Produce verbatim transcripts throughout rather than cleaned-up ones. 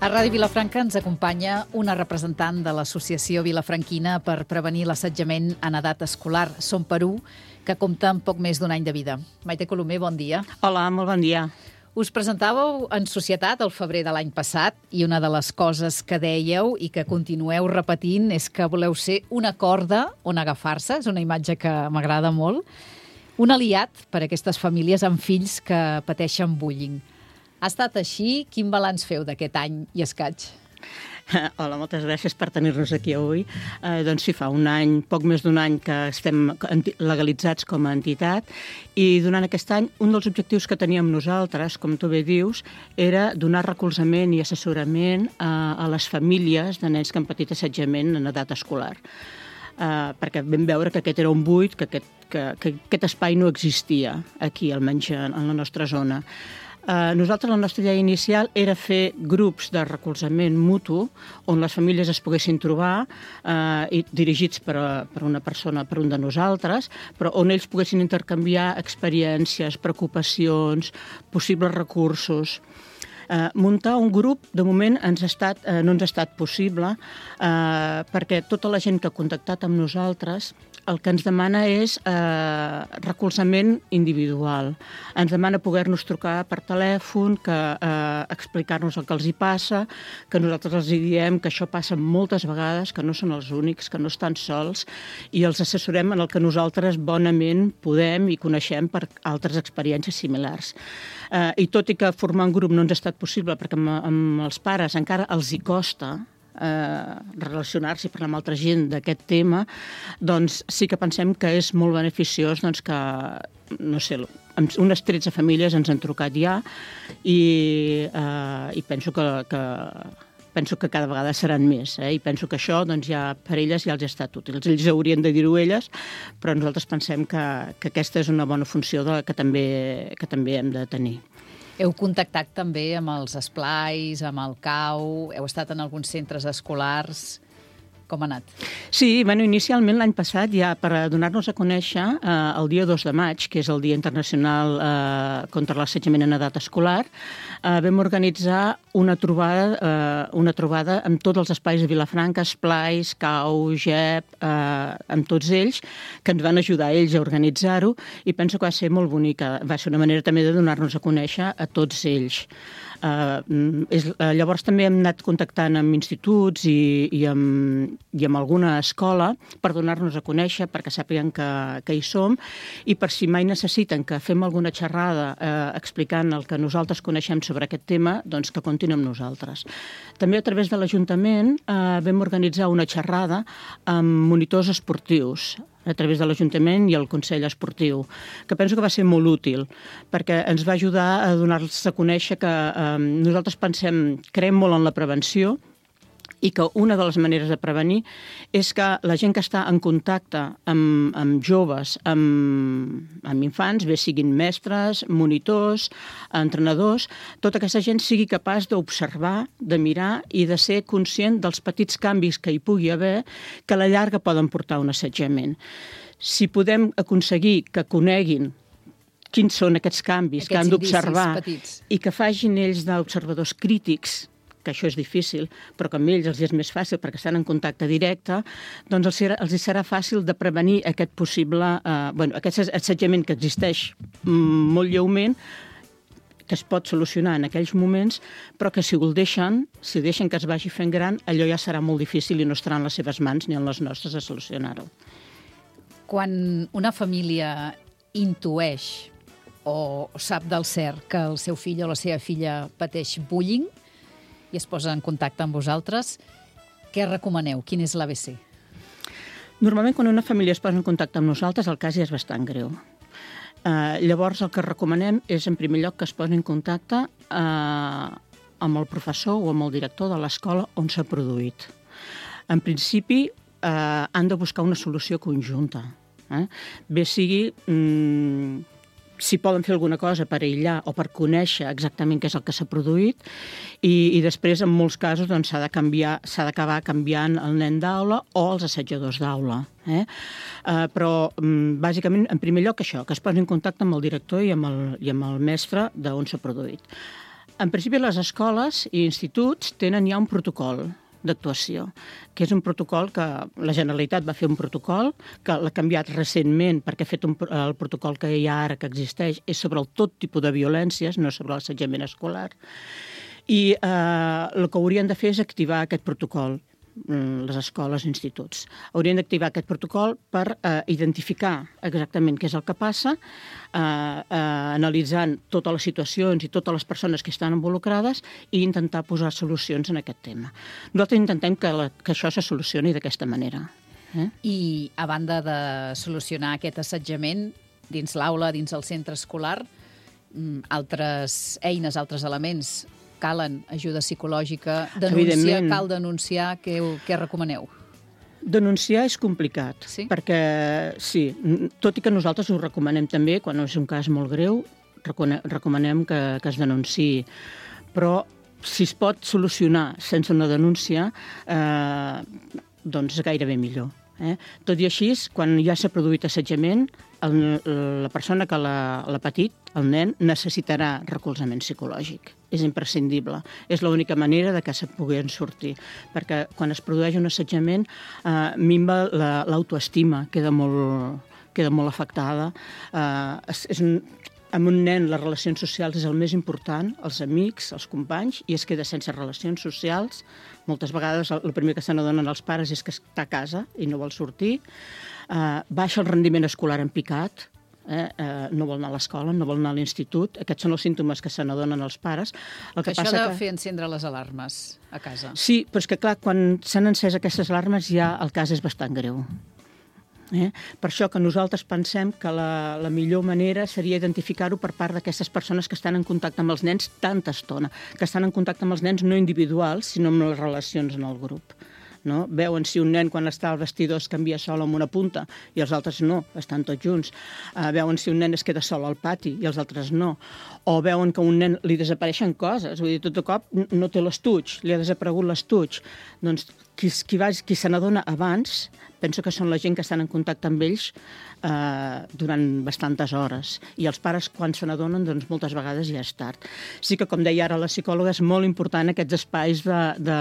A Ràdio Vilafranca ens acompanya una representant de l'Associació Vilafranquina per prevenir l'assetjament en edat escolar, Som per U, que compta amb poc més d'un any de vida. Maite Colomer, bon dia. Hola, molt bon dia. Us presentàveu en societat el febrer de l'any passat i una de les coses que dèieu i que continueu repetint és que voleu ser una corda on agafar-se, és una imatge que m'agrada molt, un aliat per a aquestes famílies amb fills que pateixen bullying. Ha estat així? Quin balanç feu d'aquest any i escaig? Hola, moltes gràcies per tenir-nos aquí avui. Eh, doncs sí, fa un any, poc més d'un any que estem legalitzats com a entitat i durant aquest any un dels objectius que teníem nosaltres, com tu bé dius, era donar recolzament i assessorament a, a les famílies de nens que han patit assetjament en edat escolar. Uh, perquè vam veure que aquest era un buit, que aquest, que, que aquest espai no existia aquí, almenys en, en la nostra zona. Uh, nosaltres, la nostra idea inicial era fer grups de recolzament mutu on les famílies es poguessin trobar, uh, i dirigits per, a, per una persona, per un de nosaltres, però on ells poguessin intercanviar experiències, preocupacions, possibles recursos. Uh, muntar un grup, de moment, ens ha estat, uh, no ens ha estat possible uh, perquè tota la gent que ha contactat amb nosaltres el que ens demana és eh, recolzament individual. Ens demana poder-nos trucar per telèfon, que eh, explicar-nos el que els hi passa, que nosaltres els hi diem que això passa moltes vegades, que no són els únics, que no estan sols, i els assessorem en el que nosaltres bonament podem i coneixem per altres experiències similars. Eh, I tot i que formar un grup no ens ha estat possible, perquè amb, amb els pares encara els hi costa, Eh, relacionar-se i parlar amb altra gent d'aquest tema, doncs sí que pensem que és molt beneficiós doncs, que, no sé, unes tretze famílies ens han trucat ja i, eh, i penso que, que penso que cada vegada seran més, eh? I penso que això doncs, ja per elles ja els ha estat útil. Ells haurien de dir-ho elles, però nosaltres pensem que, que aquesta és una bona funció de, que, també, que també hem de tenir. Heu contactat també amb els esplais, amb el C A U, heu estat en alguns centres escolars. Com ha anat? Sí, bueno, inicialment l'any passat, ja per donar-nos a conèixer, eh, el dia dos de maig, que és el Dia Internacional eh, contra l'Assetjament en Edat Escolar, eh, vam organitzar una trobada, eh, una trobada amb tots els espais de Vilafranca, esplais, C A U, G E P, eh, amb tots ells, que ens van ajudar ells a organitzar-ho, i penso que va ser molt bonica. Va ser una manera també de donar-nos a conèixer a tots ells. Uh, és, uh, llavors també hem anat contactant amb instituts i, i, amb, i amb alguna escola per donar-nos a conèixer, perquè sàpiguen que, que hi som, i per si mai necessiten que fem alguna xerrada uh, explicant el que nosaltres coneixem sobre aquest tema, doncs que comptin amb nosaltres. També a través de l'Ajuntament uh, vam organitzar una xerrada amb monitors esportius a través de l'Ajuntament i el Consell Esportiu, que penso que va ser molt útil, perquè ens va ajudar a donar-los a conèixer que eh, nosaltres pensem, creiem molt en la prevenció, i que una de les maneres de prevenir és que la gent que està en contacte amb, amb joves, amb, amb infants, bé siguin mestres, monitors, entrenadors, tota aquesta gent sigui capaç d'observar, de mirar i de ser conscient dels petits canvis que hi pugui haver que a la llarga poden portar a un assetjament. Si podem aconseguir que coneguin quins són aquests canvis aquests que han d'observar i que facin ells d'observadors crítics, que això és difícil, però que amb ells els és més fàcil perquè estan en contacte directe, doncs els serà, els serà fàcil de prevenir aquest possible, eh, bueno, aquest assetjament que existeix molt lleument, que es pot solucionar en aquells moments, però que si ho deixen, si deixen que es vagi fent gran, allò ja serà molt difícil i no estarà en les seves mans ni en les nostres a solucionar-ho. Quan una família intueix o sap del cert que el seu fill o la seva filla pateix bullying, i es posa en contacte amb vosaltres, què recomaneu? Quin és l'A B C? Normalment, quan una família es posa en contacte amb nosaltres, el cas ja és bastant greu. Uh, llavors, el que recomanem és, en primer lloc, que es posi en contacte uh, amb el professor o amb el director de l'escola on s'ha produït. En principi, uh, han de buscar una solució conjunta. Eh? Bé sigui... Mm, si poden fer alguna cosa per aïllar o per conèixer exactament què és el que s'ha produït i, i després, en molts casos, doncs, s'ha de canviar, s'ha d'acabar canviant el nen d'aula o els assetjadors d'aula. Eh? Uh, però, um, bàsicament, en primer lloc, això, que es posi en contacte amb el director i amb el, i amb el mestre d'on s'ha produït. En principi, les escoles i instituts tenen ja un protocol d'actuació, que és un protocol que la Generalitat va fer un protocol, que l'ha canviat recentment perquè ha fet un, el protocol que hi ha ara que existeix és sobre el tot tipus de violències, no sobre l'assetjament escolar. I eh, el que haurien de fer és activar aquest protocol, les escoles i instituts. Haurien d'activar aquest protocol per eh, identificar exactament què és el que passa, eh, eh, analitzant totes les situacions i totes les persones que estan involucrades i intentar posar solucions en aquest tema. Nosaltres intentem que, la, que això se solucioni d'aquesta manera. Eh? I a banda de solucionar aquest assetjament dins l'aula, dins el centre escolar, altres eines, altres elements, calen ajuda psicològica, denunciar, cal denunciar, què, què recomaneu? Denunciar és complicat, sí? perquè sí, tot i que nosaltres ho recomanem també, quan és un cas molt greu, recomanem que, que es denunciï, però si es pot solucionar sense una denúncia, eh, doncs gairebé millor. Eh? Tot i així, quan ja s'ha produït assetjament, el, la persona que l'ha patit, el nen, necessitarà recolzament psicològic. És imprescindible. És l'única manera de que se puguin sortir. Perquè quan es produeix un assetjament, eh, minva l'autoestima, queda, molt, queda molt afectada. Eh, és, és un, amb un nen les relacions socials és el més important, els amics, els companys, i es queda sense relacions socials. Moltes vegades el primer que se n'adonen els pares és que està a casa i no vol sortir. Eh, baixa el rendiment escolar en picat, eh? Eh, no vol anar a l'escola, no vol anar a l'institut. Aquests són els símptomes que se n'adonen els pares. El que, que això ha de que... fer encendre les alarmes a casa. Sí, però és que clar, quan s'han encès aquestes alarmes ja el cas és bastant greu. Eh? Per això que nosaltres pensem que la, la millor manera seria identificar-ho per part d'aquestes persones que estan en contacte amb els nens tanta estona, que estan en contacte amb els nens no individuals, sinó amb les relacions en el grup. No? Veuen si un nen quan està al vestidor es canvia sol amb una punta i els altres no, estan tots junts. Uh, veuen si un nen es queda sol al pati i els altres no. O veuen que a un nen li desapareixen coses, vull dir, tot de cop no té l'estuig, li ha desaparegut l'estuig. Doncs qui, qui, va, qui se n'adona abans, penso que són la gent que estan en contacte amb ells eh, durant bastantes hores. I els pares, quan se n'adonen, doncs moltes vegades ja és tard. Sí que, com deia ara la psicòloga, és molt important aquests espais de... de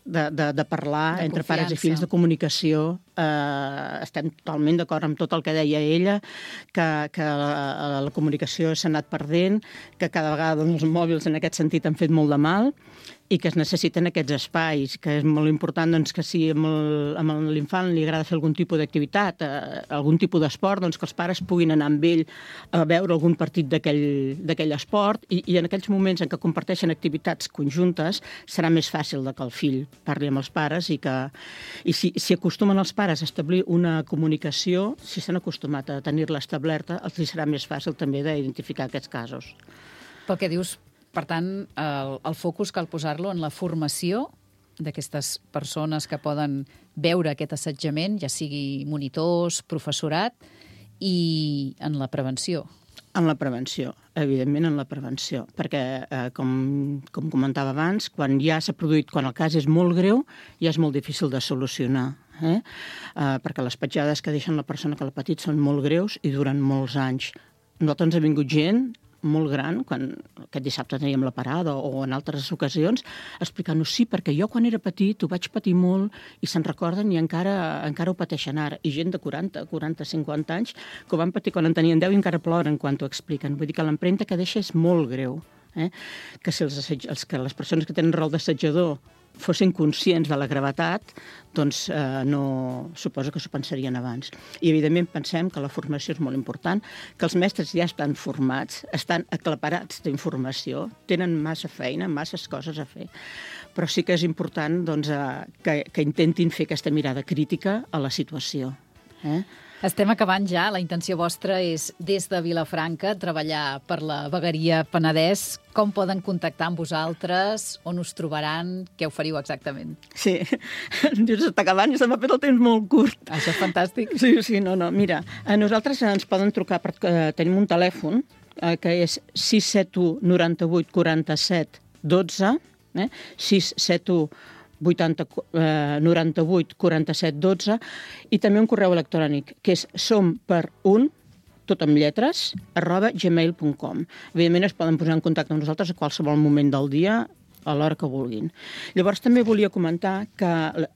De, de, de parlar de entre confiança. Pares i fills, de comunicació. Eh, estem totalment d'acord amb tot el que deia ella, que, que la, la comunicació s'ha anat perdent, que cada vegada doncs, els mòbils en aquest sentit han fet molt de mal i que es necessiten aquests espais, que és molt important doncs, que si amb l'infant li agrada fer algun tipus d'activitat, eh, algun tipus d'esport, doncs que els pares puguin anar amb ell a veure algun partit d'aquell esport i, i en aquells moments en què comparteixen activitats conjuntes serà més fàcil de que el fill parli amb els pares i que i si, si acostumen els pares a establir una comunicació, si s'han acostumat a tenir-la establerta, els serà més fàcil també d'identificar aquests casos. Pel que dius, per tant, el, el focus cal posar-lo en la formació d'aquestes persones que poden veure aquest assetjament, ja sigui monitors, professorat, i en la prevenció. En la prevenció, evidentment en la prevenció, perquè, eh, com, com comentava abans, quan ja s'ha produït, quan el cas és molt greu, ja és molt difícil de solucionar, eh? Eh, perquè les petjades que deixen la persona que l'ha patit són molt greus i duren molts anys. Nosaltres ens ha vingut gent molt gran, quan aquest dissabte teníem la parada o en altres ocasions, explicant-nos sí, perquè jo quan era petit ho vaig patir molt i se'n recorden i encara, encara ho pateixen ara. I gent de quaranta, quaranta, cinquanta anys que ho van patir quan en tenien deu i encara ploren quan t'ho expliquen. Vull dir que l'empremta que deixa és molt greu. Eh? Que si els, els, que les persones que tenen rol d'assetjador fossin conscients de la gravetat, doncs eh, no, suposo que s'ho pensarien abans. I, evidentment, pensem que la formació és molt important, que els mestres ja estan formats, estan aclaparats d'informació, tenen massa feina, masses coses a fer, però sí que és important doncs, eh, que, que intentin fer aquesta mirada crítica a la situació. Eh? Estem acabant ja. La intenció vostra és, des de Vilafranca, treballar per la vegueria Penedès. Com poden contactar amb vosaltres? On us trobaran? Què oferiu exactament? Sí, dius, està acabant i se m'ha fet el temps molt curt. Això és fantàstic. Sí, sí, no, no. Mira, a nosaltres ens poden trucar, per, eh, tenim un telèfon eh, que és sis set u noranta-vuit quaranta-set dotze, eh? sis set u vuitanta, eh, noranta-vuit quaranta-set dotze, i també un correu electrònic que és som per un tot amb lletres, arroba gmail punt com. Evidentment es poden posar en contacte amb nosaltres a qualsevol moment del dia, a l'hora que vulguin. Llavors també volia comentar que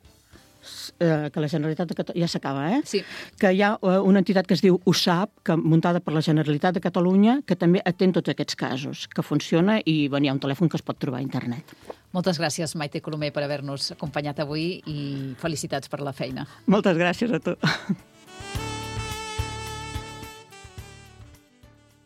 que la Generalitat de Catalunya... Ja s'acaba, eh? Sí. Que hi ha una entitat que es diu U S A P, que, muntada per la Generalitat de Catalunya, que també atén tots aquests casos, que funciona i bueno, hi ha un telèfon que es pot trobar a internet. Moltes gràcies, Maite Colomer, per haver-nos acompanyat avui i felicitats per la feina. Moltes gràcies a tu.